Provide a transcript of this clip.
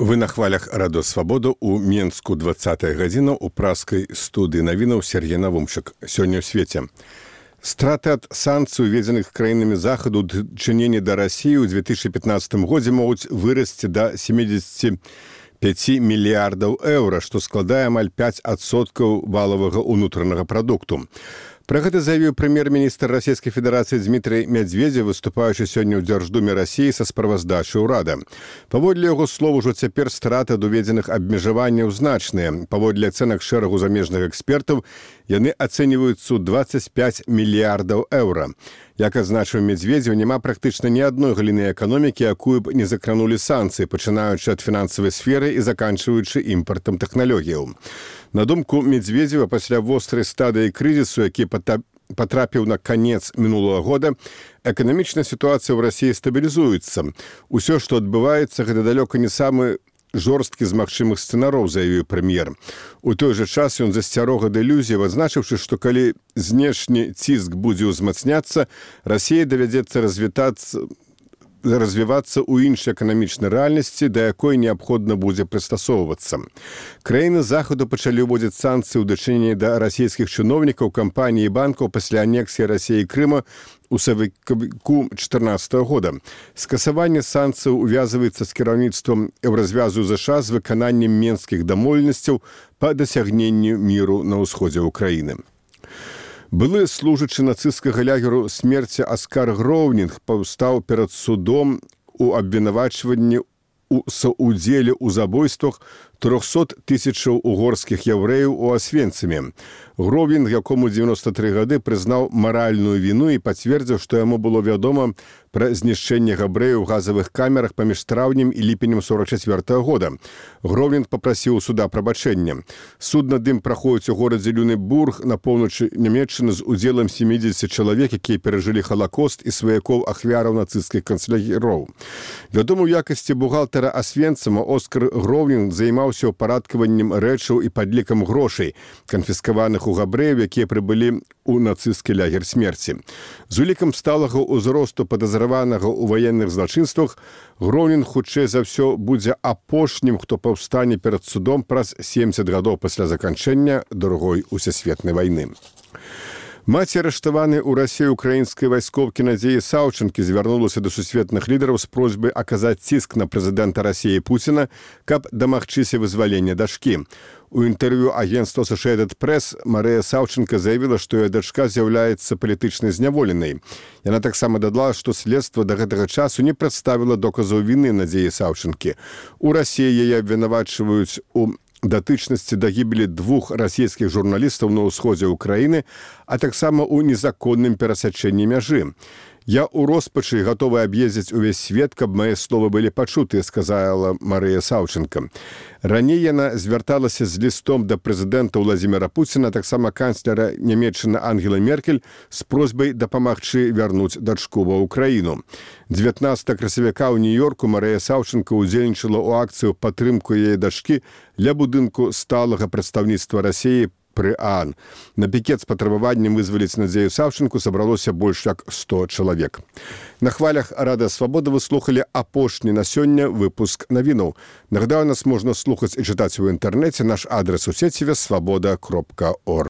Вы на хвалях радо свабода у Менску 20 гадзіна у праскай студыі навінаў Сергей Навумчык. Сёння ў свеце. Страты ад санкцый, уведзеных краінамі захаду ў дачыненні да Расіі ў 2015 годзе могуць вырасці да 75 мільярдаў еўра, што складае амаль 5% валавага ўнутранага прадукту. Пра гэта заявіў прэм'ер-міністр Расійскай Федэрацыі Дмітрый Медведзеў, выступаючы сёння ў Дзярждуме Расіі са справаздачай урада. Паводле яго слоў, ужо цяпер страты ад уведзеных абмежаванняў значныя. Паводле ацэнак шэрагу замежных экспертаў, яны ацэньваюцца ў 25 мільярдаў еўра. Як адзначыў Медведзеў, няма практычна ні адной галіны эканомікі, якую б не закранулі санкцыі, пачынаючы ад фінансавай сферы і заканчваючы імпартам тэхналогіяў. На думку Медведзева, пасля вострай стадыі крызісу, які патрапіў на канец мінулага года, эканамічная сітуацыя ў Расіі стабілізуецца. Усё, што адбываецца, гэта далёка не самы жорсткі з магчымых сцэнароў, заявіў прэм'ер. У той жа час ён засцярог ад ілюзіяў, адзначыўшы, што калі знешні ціск будзе ўзмацняцца, Расіі давядзецца развівацца ў іншай эканамічнай рэальнасці, да якой неабходна будзе прыстасоўвацца. Краіны захаду пачалі ўводзіць санкцыі ў дачыненні да расійскіх чыноўнікаў, кампаній і банкаў пасля анексіі Расіі Крыма у сакавіку 2014 года. Скасаванне санкцыяў увязваецца з кіраўніцтвам Еўразвязу ЗША з выкананнем менскіх дамоўленасцяў па дасягненню міру на ўсходзе ўкраіны. Былы служачы нацысцкага лагеру смерці Аскар Гроўнінг паўстаў перад судом у абвінавачванні у саўдзеле ў забойствах 300 тысячаў угорскіх яўрэяў у Асвенцыме. Гроўнінг, якому 93 гады, прызнаў маральную віну і пацвердзіў, што яму было вядома пра знішчэнне габрэяў у газавых камерах паміж траўнем і ліпенем 44 года. Гроўнінг папрасіў суда прабачэння. Суд над ім праходзіць у горадзе Люнебург на поўначы Нямецчыны з удзелам 70 чалавек, якія перажылі Халакост і сваякоў ахвяраў нацысцкіх канцлагераў. Вядомы ў якасці бухгалтара Асвенцыма, Оскар Гроўнінг займаўся ўпарадкаваннем рэчаў і падлікам грошай, канфіскаваных у габрэяў, якія прыбылі у нацысцкі лагер смерці. З улікам сталага ўзросту падазраванага ў ваенных злачынствах, Гроўнінг хутчэй за ўсё будзе апошнім, хто паўстане перад судом праз 70 гадоў пасля заканчэння Другой усесветнай вайны. Маці арыштаванай у Расіі украінскай вайскоўкі Надзеі Саўчанкі звярнулася да сусветных лідараў з просьбай аказаць ціск на прэзідэнта Расіі Пуціна, каб дамагчыся вызвалення дачкі. У інтэрв'ю агенцтва Associated Press Марыя Саўчанка заявіла, што яе дачка з'яўляецца палітычнай зняволенай. Яна таксама дадала, што следства да гэтага часу не прадставіла доказаў віны Надзеі Саўчанкі. У Расіі яе абвінавачваюць у датычнасці да гібелі 2 расійскіх журналістаў на ўсходзе ўкраіны, а таксама ў незаконным перасячэнні мяжы. «Я ў роспачы гатовы аб'ездзіць увесь свет, каб мае словы былі пачутыя», сказала Марыя Саўчанка. Раней яна звярталася з лістом да прэзідэнта Владзіміра Пуціна, таксама канцлера Нямецчыны Ангела Меркель з просьбай дапамагчы вярнуць дачку ва ўкраіну. 19 красавіка ў Нью-Йорку Марыя Саўчанка ўдзельнічала ў акцыю падтрымку яе дачкі ля будынку сталага прадстаўніцтва Расіі пры ААН. На пікет з патрабаваннем вызваліць Надзею Саўчанку сабралося больш як 100 чалавек. На хвалях Рада Свабода вы слухалі апошні на сёння выпуск навінаў. Нагадаю, нас можна слухаць і чытаць у інтэрнэце. Наш адрес у сеціве свабода.орг.